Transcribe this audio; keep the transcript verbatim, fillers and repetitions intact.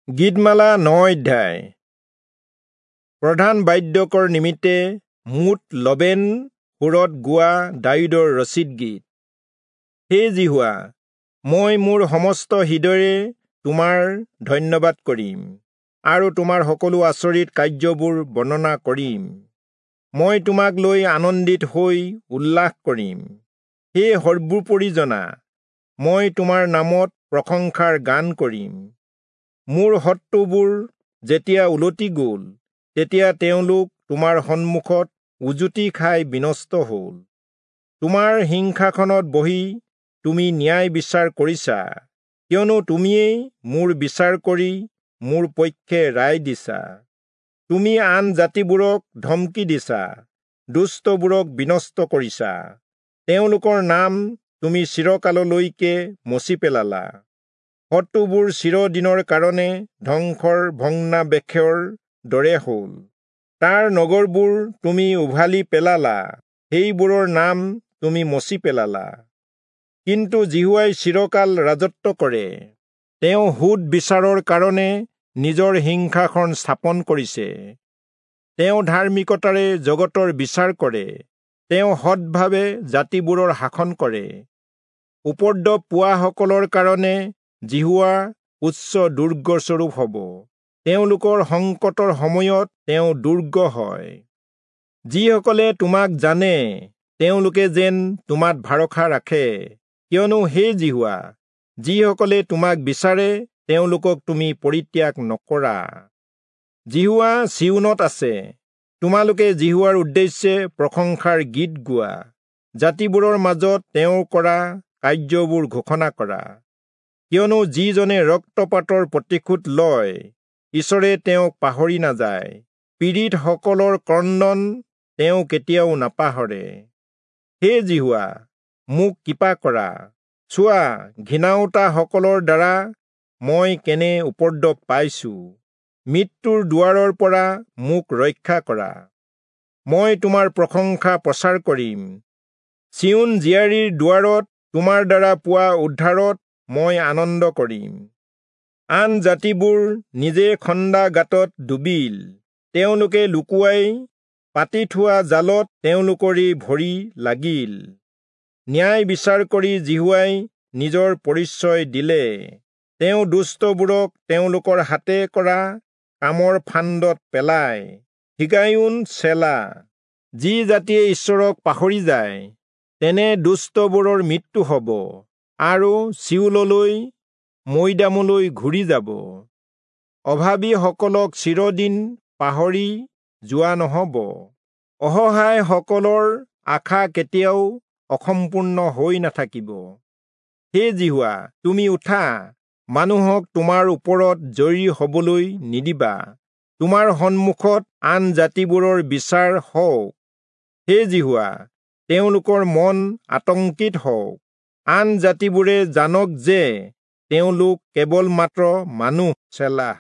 গীতমালা ন অধ্যায়। প্ৰধান বাদ্যকৰ নিমিত্তে মুঠ লবেন সুৰত গোৱা দায়ূদৰ ৰচিত গীত। হে যিহোৱা, মই মোৰ সমস্ত হৃদয়েৰে তোমাৰ ধন্যবাদ কৰিম আৰু তোমাৰ সকলো আচৰিত কাৰ্যবোৰ বৰ্ণনা কৰিম। মই তোমাক লৈ আনন্দিত হৈ উল্লাস কৰিম। হে সৰ্বোপৰি জনা, মই তোমাৰ নামত প্ৰশংসাৰ গান কৰিম। মোৰ শত্ৰুবোৰ যেতিয়া উলটি গ'ল, তেতিয়া তেওঁলোক তোমাৰ সন্মুখত উজুটি খাই বিনষ্ট হ'ল। তোমাৰ সিংহাসনত বহি তুমি ন্যায় বিচাৰ কৰিছা, কিয়নো তুমিয়েই মোৰ বিচাৰ কৰি মোৰ পক্ষে ৰায় দিছা। তুমি আন জাতিবোৰক ধমকি দিছা, দুষ্টবোৰক বিনষ্ট কৰিছা। তেওঁলোকৰ নাম তুমি চিৰকাললৈকে মচি পেলালা। শত্ৰুবোৰ চিৰদিনৰ কাৰণে ধ্বংসৰ ভগ্নাৱশেষৰ দৰে হ'ল। তাৰ নগৰবোৰ তুমি উভালি পেলালা, সেইবোৰৰ নাম তুমি মচি পেলালা। কিন্তু যিহোৱাই চিৰকাল ৰাজত্ব কৰে। তেওঁ সোধ বিচাৰৰ কাৰণে নিজৰ সিংহাসন স্থাপন কৰিছে। তেওঁ ধাৰ্মিকতাৰে জগতৰ বিচাৰ কৰে। তেওঁ সৎভাৱে জাতিবোৰৰ শাসন কৰে। উপদ্ৰৱ পোৱাসকলৰ কাৰণে যিহোৱা উচ্চ দুৰ্গস্বৰূপ হ'ব। তেওঁলোকৰ সংকটৰ সময়ত তেওঁ দুৰ্গ হয়। যিসকলে তোমাক জানে, তেওঁলোকে যেন তোমাত ভৰসা ৰাখে। কিয়নো হে যিহোৱা, যিসকলে তোমাক বিচাৰে, তেওঁলোকক তুমি পৰিত্যাগ নকৰা। যিহোৱা চিয়োনত আছে। তোমালোকে যিহোৱাৰ উদ্দেশ্যে প্ৰশংসাৰ গীত গোৱা। জাতিবোৰৰ মাজত তেওঁ কৰা কাৰ্যবোৰ ঘোষণা কৰা। কিয়নো যিজনে ৰক্তপাতৰ প্ৰতিশোধ লয়, ঈশ্বৰে তেওঁক পাহৰি নাযায়। পীড়িতসকলৰ ক্ৰন্দন তেওঁ কেতিয়াও নাপাহৰে। হে যিহোৱা, মোক কৃপা কৰা। চোৱা, ঘৃণাওতাসকলৰ দ্বাৰা মই কেনে উপদ্ৰৱ পাইছো। মৃত্যুৰ দুৱাৰৰ পৰা মোক ৰক্ষা কৰা। মই তোমাৰ প্ৰশংসা প্ৰচাৰ কৰিম। চিয়োন জীয়াৰীৰ দুৱাৰত তোমাৰ দ্বাৰা পোৱা উদ্ধাৰত মই আনন্দ কৰিম। আন জাতিবোৰ নিজে খন্দা গাঁতত ডুবিল। তেওঁলোকে লুকুৱাই পাতি থোৱা জালত তেওঁলোকৰেই ভৰি লাগিল। ন্যায় বিচাৰ কৰি যিহোৱাই নিজৰ পৰিচয় দিলে। তেওঁ দুষ্টবোৰক তেওঁলোকৰ হাতে কৰা কামৰ ফান্দত পেলায়। হিগায়ুন চেলা। যি জাতিয়ে ঈশ্বৰক পাহৰি যায়, তেনে দুষ্টবোৰৰ মৃত্যু হ'ব আৰু চিয়োললৈ মৈদামলৈ ঘূৰি যাব। অভাৱীসকলক চিৰদিন পাহৰি যোৱা নহ'ব। অসহায়সকলৰ আশা কেতিয়াও অসম্পূৰ্ণ হৈ নাথাকিব। হে যিহোৱা, তুমি উঠা, মানুহক তোমাৰ ওপৰত জয়ী হ'বলৈ নিদিবা। তোমাৰ সন্মুখত আন জাতিবোৰৰ বিচাৰ হওক। হে যিহোৱা, তেওঁলোকৰ মন আতংকিত হওক। আন জাতিবোৰে জানক যে তেওঁলোক কেৱল মাত্ৰ মানুহ। চেলা।